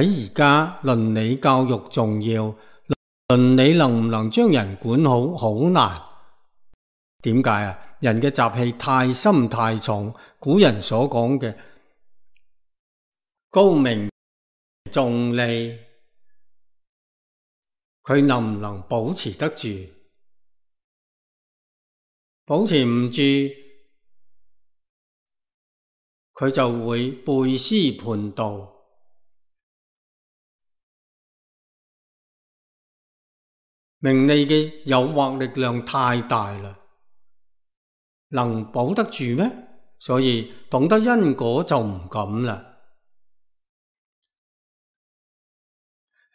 喺而家倫理教育重要，倫理能唔能將人管好，好難。點解啊？人嘅習氣太深太重，古人所講嘅高明重利，佢能唔能保持得住？保持唔住，佢就會背師叛道。名利嘅誘惑力量太大啦，能保得住咩？所以懂得因果就唔敢啦。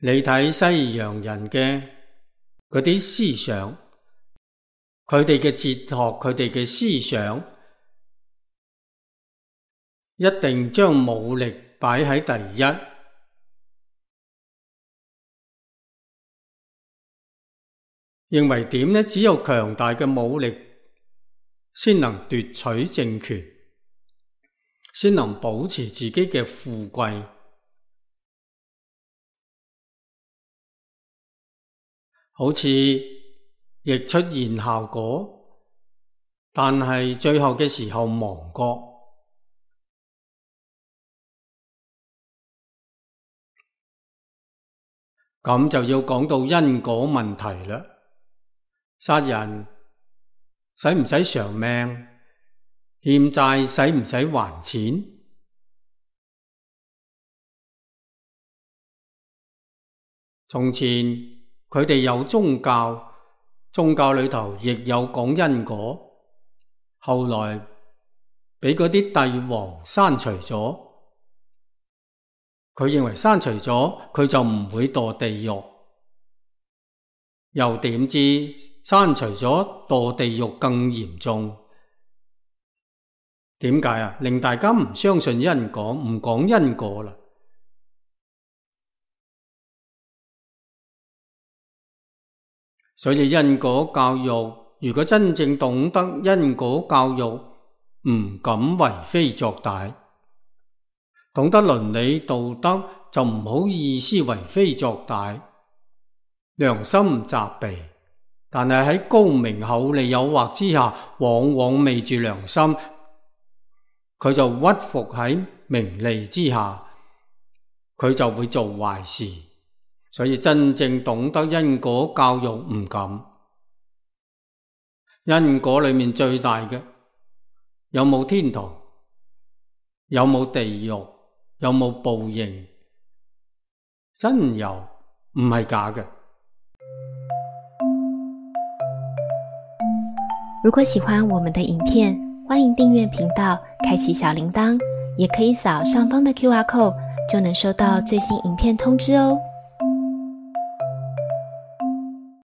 你睇西洋人嘅嗰啲思想，佢哋嘅哲學，佢哋嘅思想，一定將武力擺喺第一。認為點呢？只有強大嘅武力先能奪取政權，先能保持自己嘅富貴。好似亦出現效果，但係最後嘅時候亡國。咁就要講到因果問題啦。殺人使唔使償命？欠債使唔使還錢？從前佢哋有宗教，宗教裏頭亦有講因果，後來俾嗰啲帝王刪除咗。佢認為刪除咗，佢就唔會墮地獄。又點知刪除咗墮地獄更嚴重？點解啊？令大家唔相信因果，唔講因果啦。所以因果教育，如果真正懂得因果教育，唔敢為非作歹，懂得倫理道德，就唔好意思為非作歹，良心責備。但係喺高明厚利誘惑之下，往往昧住良心，佢就屈服喺名利之下，佢就會做壞事。所以真正懂得因果教育唔敢。因果裏面最大嘅，有冇天堂？有冇地獄？有冇報應？真有，唔係假嘅。如果喜歡我們的影片，歡迎訂閱頻道，開啟小鈴鐺，也可以掃上方的QR code，就能收到最新影片通知哦。